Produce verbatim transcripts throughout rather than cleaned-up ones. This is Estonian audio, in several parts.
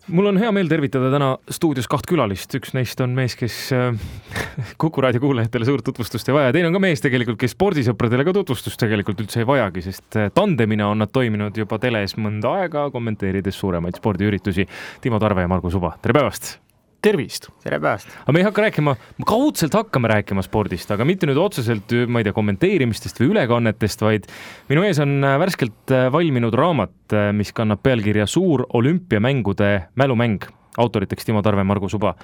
Mul on hea meel tervitada täna stuudios kaht külalist. Üks neist on mees, kes Kuku raadio kuulajatele suurt tutvustust ei vaja. Teine on ka mees tegelikult, kes spordisõpradele ka tutvustust tegelikult üldse ei vajagi, sest tandemina on nad toiminud juba teles mõnda aega, kommenteerides suuremaid spordiüritusi. Timo Tarve ja Margus Uba. Tere päevast! Tervist! Tere päevast! Aga me ei hakka rääkima, kaudselt hakkame rääkima spordist, aga mitte nüüd otseselt, ma ei tea, kommenteerimistest või ülekannetest, vaid minu ees on värskelt valminud raamat, mis kannab pealkirja Suur olümpiamängude mälumäng. Autoriteks Timo Tarve, Margus Uba.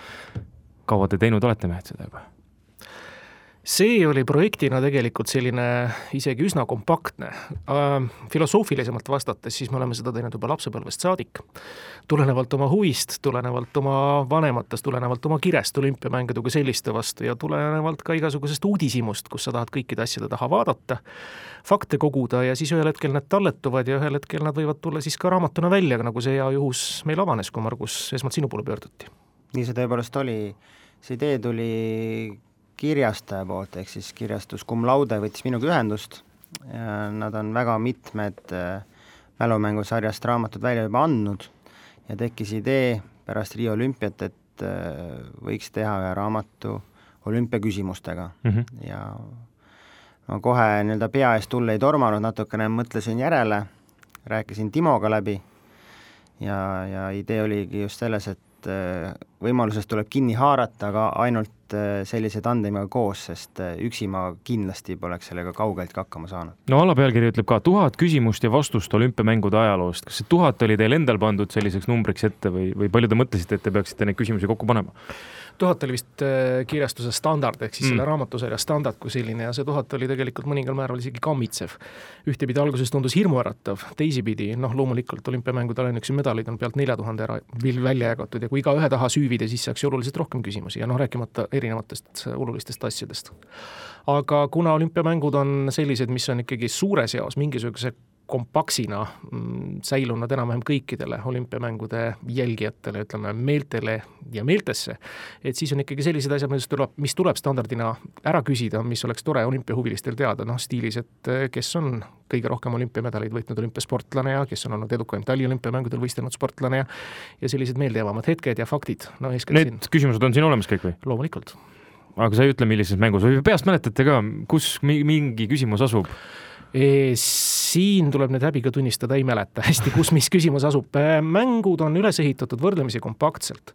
Kaua te teinud olete mehed seda juba? See oli projektina tegelikult selline isegi üsna kompaktne. Filosoofilisemalt vastates, siis me oleme seda teinud juba lapsepõlvest saadik. Tulenevalt oma huvist, tulenevalt oma vanematest, tulenevalt oma kirest olümpiamängude kui selliste vastu ja tulenevalt ka igasugusest uudisimust, kus sa tahad kõikide asjade taha vaadata, fakte koguda ja siis ühel hetkel need talletuvad ja ühel hetkel nad võivad tulla siis ka raamatuna välja, nagu see hea juhus meil avanes, kui Margus esmalt sinu poole pöörduti. Nii see tõepoolest oli. See idee tuli kirjastaja poolt, ehk siis kirjastus Cum Laude võttis minuga ühendust. Ja nad on väga mitmed mälumängusarjast raamatud välja juba andnud ja tekkis idee pärast Rio olümpiat, et võiks teha ühe raamatu olümpiaküsimustega. Mm-hmm. Ja ma kohe nii-öelda pea eest tulle ei tormanud, natukene mõtlesin järele, rääkisin Timoga läbi ja, ja idee oligi just selles, et võimalusest tuleb kinni haarata, aga ainult sellise tandemiga koos, sest üksi ma kindlasti poleks sellega kaugelt hakkama saanud. No alapealkiri ütleb ka tuhat küsimust ja vastust olümpiamängude ajaloost. Kas see tuhat oli teil endal pandud selliseks numbriks ette või, või palju te mõtlesite, et te peaksite neid küsimusi kokku panema? Tuhat oli vist kirjastuse standard, ehk siis mm. selle raamatusarja standard kui selline ja see tuhat oli tegelikult mõningal määral isegi kammitsev. Ühtepidi alguses tundus hirmuäratav, teisipidi, noh loomulikult olümpiamängude ainuüksi medalid on pealt nelja tuhande ära välja jagatud ja kui iga ühe taha süüvida, siis saaks oluliselt rohkem küsimusi ja noh rääkimata erinevatest olulistest asjadest. Aga kuna olümpiamängud on sellised, mis on ikkagi suures jaos mingisuguse kompaksina säilunud enam-vähem kõikidele olümpiamängude jälgijatele, ütleme meeltele ja meeltesse, et siis on ikkagi sellised asjad, mis tuleb, mis tuleb standardina ära küsida, mis oleks tore olümpiahuvilistel teada, noh stiilis, et kes on kõige rohkem olümpiamedaleid võitnud olümpiasportlane ja kes on olnud edukaim taliolümpiamängudel võistelnud sportlane ja, ja sellised meeldejäävamad hetked ja faktid. No, Need siin... küsimused on siin olemas kõik või? Loomulikult. Aga sa ei ütle, millises mängus või peast mäletate ka, kus mingi küsimus asub? E, siin tuleb nüüd häbiga tunnistada, ei mäleta hästi, kus mis küsimus asub. Mängud on üles ehitatud võrdlemisi kompaktselt.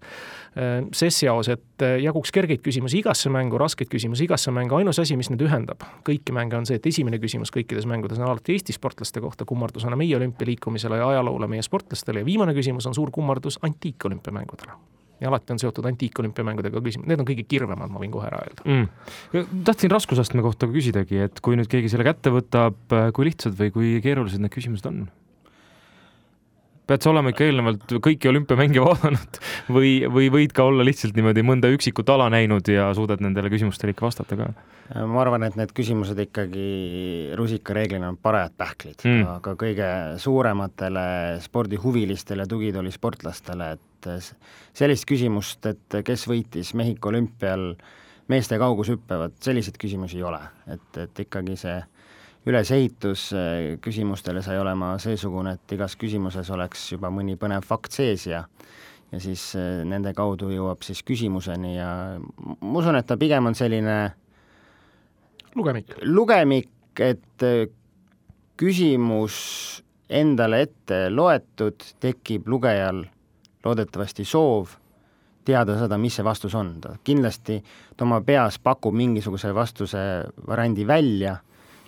Ses jaos, et jaguks kergeid küsimusi igasse mängu, raskeid küsimusi igasse mängu. Ainus asi, mis nüüd ühendab kõiki mänge on see, et esimene küsimus kõikides mängudes on alati Eesti sportlaste kohta kummardusena meie olümpialiikumisele ja ajaloole meie sportlastele ja viimane küsimus on suur kummardus antiikolümpiamängudele. Ja alati on seotud antiikolümpiamängudega küsimus. Need on kõige kirvemad, ma võin kohe ära öelda. Mm. Tahtsin raskusastme kohta küsidagi, et kui nüüd keegi selle kätte võtab, kui lihtsad või kui keerulised need küsimused on? Pead sa olema ikka eelnevalt kõiki olümpiamänge vaadanud või, või võid ka olla lihtsalt niimoodi mõnda üksikut ala näinud ja suudad nendele küsimustele ikka vastata ka? Ma arvan, et need küsimused ikkagi rusikareeglina on parajad pähklid, mm. aga kõige suurematele spordihuvilistele tugitooli sportlastele, et sellist küsimust, et kes võitis Mehhiko olümpial meeste kaugushüppevad, sellised küsimusi ei ole, et, et ikkagi see ülesehitus küsimustele sai olema seesugune, et igas küsimuses oleks juba mõni põnev fakt sees ja, ja siis nende kaudu jõuab siis küsimuseni ja ma usun, et ta pigem on selline lugemik, lugemik et küsimus endale ette loetud, tekib lugejal loodetavasti soov teada seda, mis see vastus on. Ta kindlasti ta oma peas pakub mingisuguse vastuse variandi välja,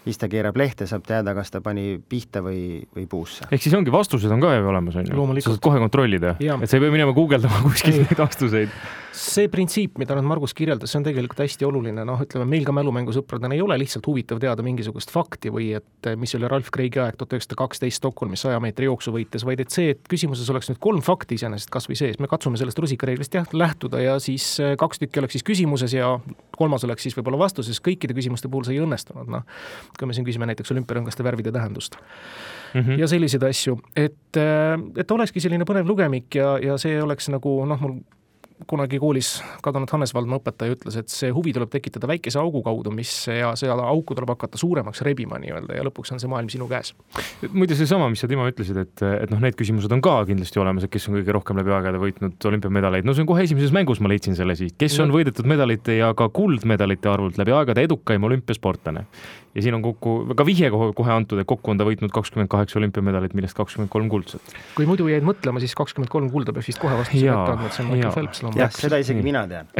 siis ta keerab lehte, saab teada, kas ta pani pihta või, või puusse. Ehk siis ongi vastused on ka olemas, on ju? Sa saad kohe kontrollida, ja. Et sa ei pea minema guugeldama kuskil neid vastuseid. See printsiip, mida nüüd Margus kirjeldas, see on tegelikult hästi oluline. Noh, ütleme, meil ka mälumängusõpradena ei ole lihtsalt huvitav teada mingisugust fakti või et mis oli Ralf Kreigi aeg tuhat üheksasada kaksteist Stockholmis saja meetri jooksu võites, vaid et see, et küsimuses oleks nüüd kolm fakti iseenesest kas või sees. Me katsume sellest rusikareeglist jah, lähtuda ja siis kaks tükki oleks siis küsimuses ja kolmas oleks siis võib-olla vastuses. Kõikide küsimuste puhul see ei õnnestunud. No, kui me siin küsime näiteks olümpiarõngaste värvide tähendust. Mm-hmm. Ja selliseid asju, et, et olekski selline põnev lugemik ja, ja see oleks nagu, noh, mul kunagi koolis kadunud Hannes Valdma õpetaja ütles, et see huvi tuleb tekitada väikese augu kaudu, mis ja seal auku tuleb hakata suuremaks rebima nii-öelda ja lõpuks on see maailm sinu käes. Muide see sama, mis sa Timo ütlesid, et, et noh, need küsimused on ka kindlasti olemas, et kes on kõige rohkem läbi aegade võitnud olümpiamedaleid. No see on kohe esimeses mängus, ma leidsin selle siis. Kes on võidetud medalite ja ka kuldmedalite arvult läbi aegade edukaim olümpiasportlane. Ja siin on kokku, ka vihje kohe antud, et kokku on ta võitnud kakskümmend kaheksa olümpiamedalit, millest kakskümmend kolm kuldset. Kui muidu jäid mõtlema, siis kakskümmend kolm kulda peab vist kohe vastu võtta, et see on Michael Phelps. Jah, seda isegi mina tean.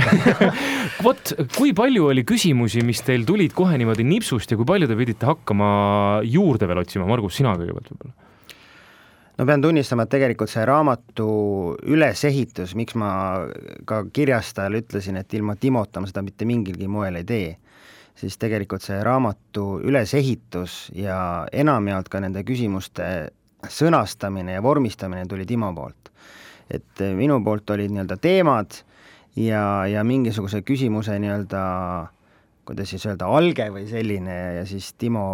Vot, kui palju oli küsimusi, mis teil tulid kohe niimoodi nipsust ja kui palju te pidite hakkama juurde veel otsima? Margus, sina kõigepealt võib-olla? No pean tunnistama, et tegelikult see raamatu ülesehitus, miks ma ka kirjastajal ütlesin, et ilma Timota ma seda mitte mingilgi moel ei tee, siis tegelikult see raamatu ülesehitus ja enamjaolt ka nende küsimuste sõnastamine ja vormistamine tuli Timo poolt. Et minu poolt olid nii-öelda teemad ja, ja mingisuguse küsimuse nii-öelda, kuidas siis öelda, alge või selline ja siis Timo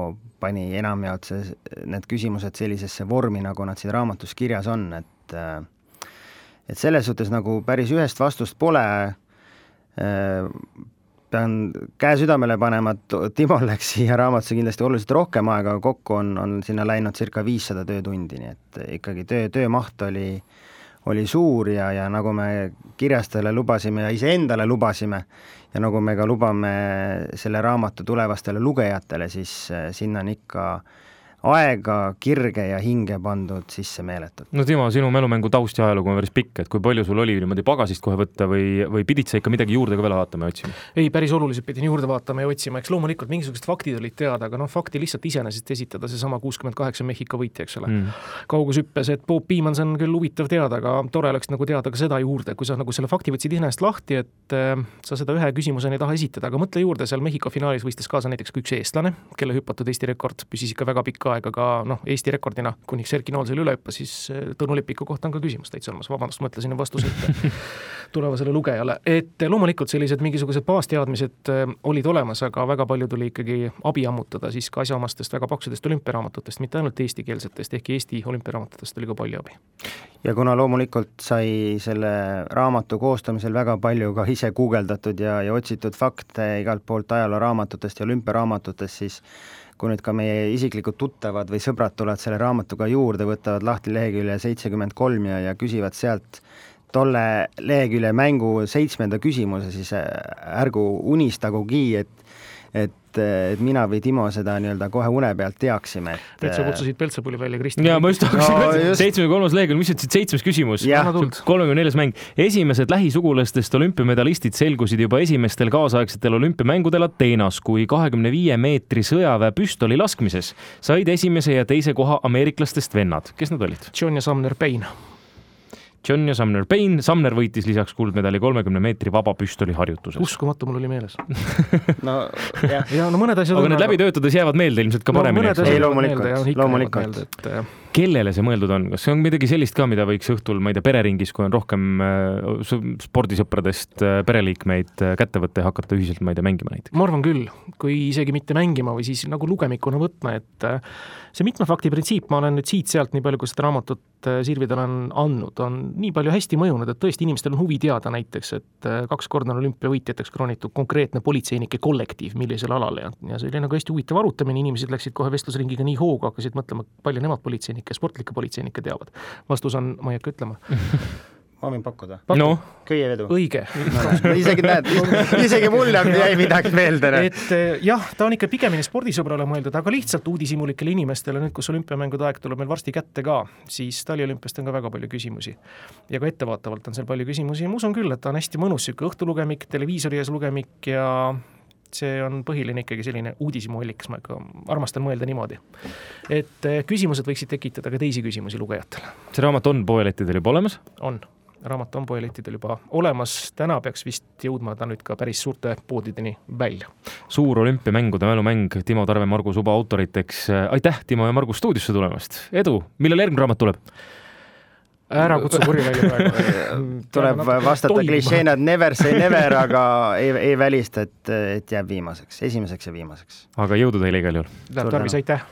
pani enamjaolt see, need küsimused sellisesse vormi, nagu nad siin raamatus kirjas on, et et selles suhtes nagu päris ühest vastust pole. Pean käe südamele panema, et Timol läks siia raamatusse kindlasti oluliselt rohkem aega, kokku on, on sinna läinud circa viissada töötundi, nii et ikkagi töö, töömaht oli, oli suur ja, ja nagu me kirjastajale lubasime ja iseendale lubasime ja nagu me ka lubame selle raamatu tulevastele lugejatele, siis sinna on ikka aega, kirge ja hinge pandud sisse meeletult. No Timo, sinu mälumängu taust ja ajalugu on päris pikk, et kui palju sul oli niimoodi pagasist kohe võtta või, või pidid sa ikka midagi juurde ka veel vaatama ja otsima? Ei, päris oluliselt pidin juurde vaatama ja otsima, eks loomulikult mingisugused faktid olid teada, aga noh, fakti lihtsalt iseenesest esitada see sama kuuskümmend kaheksa Mehhiko võitja, eks ole. Mm. Kaugushüppes, et Bob Beamans on küll huvitav teada, aga tore oleks nagu teada ka seda juurde, kui sa nagu selle fakti võtsid iseenesest lahti, et äh, sa seda ühe küsimuseni ei taha esitada, aga mõtle juurde, seal Mehhiko finaalis võistes kaasa näiteks üks eestlane, kelle hüpatud Eesti rekord püsis ikka väga pikka aega ka noh, Eesti rekordina, kuniks Erki Noolsel üle hüppa, siis Tõnu Lepiku kohta on ka küsimus täitsa olemas. Vabandust, mõtlesin vastused tulevasele lugejale. Et loomulikult sellised mingisugused baasteadmised olid olemas, aga väga palju tuli ikkagi abi ammutada siis ka asjaomastest väga paksudest olümpiaraamatutest, mitte ainult eestikeelsetest, ehk Eesti olümpiaraamatutest oli ka palju abi. Ja kuna loomulikult sai selle raamatu koostamisel väga palju ka ise guugeldatud ja, ja otsitud fakte igalt poolt ajalooraamatutest ja olümpiaraamatutest, siis kui nüüd ka meie isiklikud tuttavad või sõbrad tulevad selle raamatuga juurde, võtavad lahti lehekülje seitsekümmend kolm ja, ja küsivad sealt tolle lehekülje mängu seitsmenda küsimuse, siis ärgu unistagugi, et et, et mina või Timo seda nii-öelda kohe une pealt teaksime. Et... et sa kutsusid Peltsapuli välja, Kristi. Jaa, ma just hakkasin no, just... seitsmekümne kolmas lehekülg, mis ütlesid seitsmes küsimus, kolmekümne neljas mäng. Esimesed lähisugulastest olümpiamedalistid selgusid juba esimestel kaasaegsetel olümpiamängudel Ateenas, kui kahekümne viie meetri sõjaväe püstoli laskmises said esimese ja teise koha ameeriklastest vennad. Kes nad olid? John ja Sumner Payne. John ja Sumner Payne. Sumner võitis lisaks kuldmedali kolmekümne meetri vaba püstoli harjutuses. Uskumatu, mul oli meeles. no, jah. Ja, no mõned asjad aga need läbi töötades jäävad meelde ilmselt ka paremini. No, ei, loomulikult. loomulikult. Meelde, et... Kellele see mõeldud on? Kas see on midagi sellist ka, mida võiks õhtul, ma ei tea, pereringis, kui on rohkem spordisõpradest pereliikmeid kätte võtta ja hakata ühiselt, ma ei tea, mängima näiteks? Ma arvan küll, kui isegi mitte mängima või siis nagu lugemikuna võtma, et see mitme fakti printsiip, ma olen nüüd siit-sealt nii palju, kui seda raamatut Sirvidel on andnud, on nii palju hästi mõjunud, et tõesti inimestel on huvi teada näiteks, et kaks korda on olümpiavõitjateks kroonitud konkreetne politseinike kollektiiv, millisel alal ja, ja see oli nagu hästi huvitav arutamine, inimesed läksid kohe vestlusringiga nii hooga, hakkasid mõtlema, palju nemad politseinike, sportlike politseinike teavad. Vastus on, ma ei hakka ütlema. Ma võin pakkuda. No. Köievedu. Õige. No, isegi näed, isegi mulle jäi midagi meelde. Et jah, ta on ikka pigemini spordisõbrale mõeldud, aga lihtsalt uudishimulikele inimestele, nüüd kus olümpiamängude aeg tuleb meil varsti kätte ka, siis taliolümpiast on ka väga palju küsimusi. Ja ka ettevaatavalt on seal palju küsimusi ja ma usun küll, et ta on hästi mõnus siuke õhtulugemik, televiisori ees lugemik ja see on põhiline ikkagi selline uudishimulik, ma ikka armastan mõelda niimoodi. Et küsimused võiksid tekitada ka teisi küsimusi lugejatele. See raamat on poelettidel juba olemas? On. Raamat on poelettidel juba olemas. Täna peaks vist jõudma ta nüüd ka päris suurte poodideni välja. Suur olümpiamängude mälumäng Timo Tarve, Margus Uba autoriteks. Aitäh, Timo ja Margus stuudiosse tulemast. Edu, millal järgmine raamat tuleb? Ära kutsu kuri välja praegu. Tuleb vastata klišeenad never say never, aga ei, ei välista, et, et jääb viimaseks, esimeseks ja viimaseks. Aga jõudu teile igal juhul. Läheb tarvis, aitäh.